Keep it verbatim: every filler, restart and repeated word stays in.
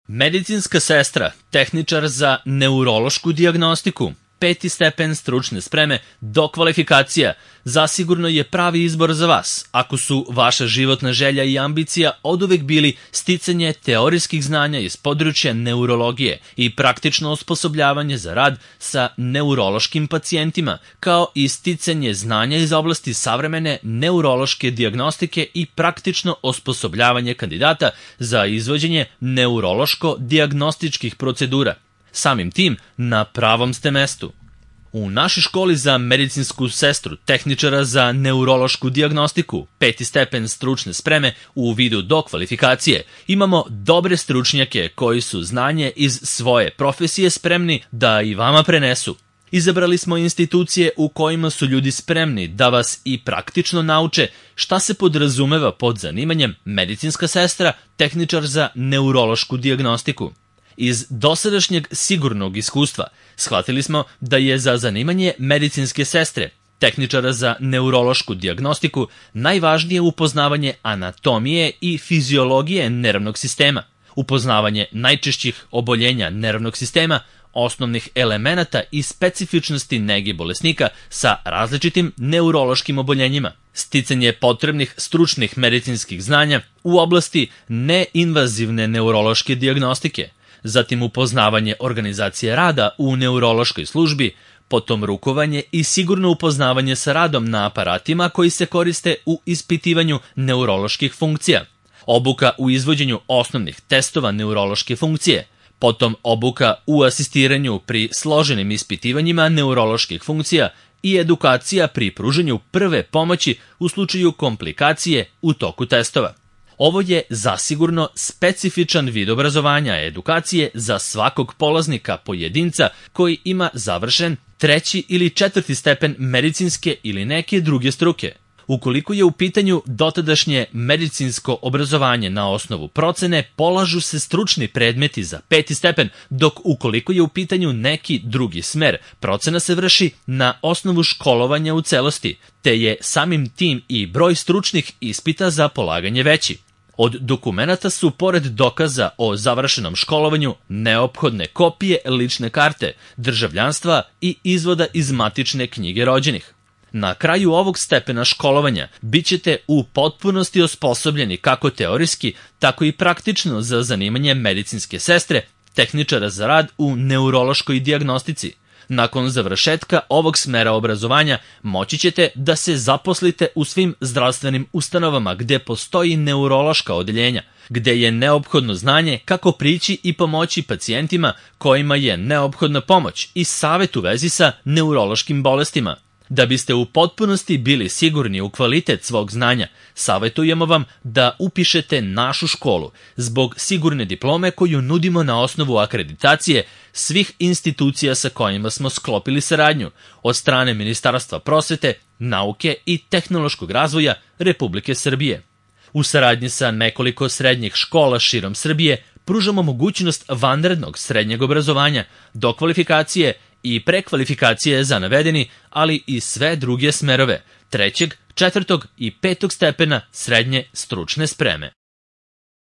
Medicinska sestra, tehničar za neurološku dijagnostiku, peti stepen stručne spreme, dokvalifikacija, zasigurno je pravi izbor za vas, ako su vaša životna želja i ambicija oduvek bili sticanje teorijskih znanja iz područja neurologije i praktično osposobljavanje za rad sa neurološkim pacijentima, kao i sticanje znanja iz oblasti savremene neurološke dijagnostike i praktično osposobljavanje kandidata za izvođenje neurološko-dijagnostičkih procedura. Samim tim, na pravom ste mestu. U našoj školi za medicinsku sestru, tehničara za neurološku dijagnostiku, peti stepen stručne spreme u vidu dokvalifikacije, imamo dobre stručnjake koji su znanje iz svoje profesije spremni da i vama prenesu. Izabrali smo institucije u kojima su ljudi spremni da vas i praktično nauče šta se podrazumeva pod zanimanjem medicinska sestra, tehničar za neurološku dijagnostiku. Iz dosadašnjeg sigurnog iskustva shvatili smo da je za zanimanje medicinske sestre, tehničara za neurološku dijagnostiku, najvažnije upoznavanje anatomije i fiziologije nervnog sistema, upoznavanje najčešćih oboljenja nervnog sistema, osnovnih elemenata i specifičnosti nege bolesnika sa različitim neurološkim oboljenjima, sticanje potrebnih stručnih medicinskih znanja u oblasti neinvazivne neurološke dijagnostike, zatim upoznavanje organizacije rada u neurološkoj službi, potom rukovanje i sigurno upoznavanje sa radom na aparatima koji se koriste u ispitivanju neuroloških funkcija, obuka u izvođenju osnovnih testova neurološke funkcije, potom obuka u asistiranju pri složenim ispitivanjima neuroloških funkcija i edukacija pri pruženju prve pomoći u slučaju komplikacije u toku testova. Ovo je zasigurno specifičan vid obrazovanja edukacije za svakog polaznika pojedinca koji ima završen treći ili četvrti stepen medicinske ili neke druge struke. Ukoliko je u pitanju dotadašnje medicinsko obrazovanje na osnovu procene, polažu se stručni predmeti za peti stepen, dok ukoliko je u pitanju neki drugi smer, procena se vrši na osnovu školovanja u celosti, te je samim tim i broj stručnih ispita za polaganje veći. Od dokumenata su, pored dokaza o završenom školovanju, neophodne kopije lične karte, državljanstva i izvoda iz matične knjige rođenih. Na kraju ovog stepena školovanja bit ćete u potpunosti osposobljeni kako teorijski, tako i praktično za zanimanje medicinske sestre, tehničara za rad u neurološkoj dijagnostici. Nakon završetka ovog smera obrazovanja moći ćete da se zaposlite u svim zdravstvenim ustanovama gde postoji neurološka odeljenja, gde je neophodno znanje kako prići i pomoći pacijentima kojima je neophodna pomoć i savjet u vezi sa neurološkim bolestima. Da biste u potpunosti bili sigurni u kvalitet svog znanja, savjetujemo vam da upišete našu školu zbog sigurne diplome koju nudimo na osnovu akreditacije svih institucija sa kojima smo sklopili saradnju od strane Ministarstva prosvete, nauke i tehnološkog razvoja Republike Srbije. U saradnji sa nekoliko srednjih škola širom Srbije pružamo mogućnost vanrednog srednjeg obrazovanja, dokvalifikacije i prekvalifikacije za navedeni, ali i sve druge smerove, trećeg, četvrtog i petog stepena srednje stručne spreme.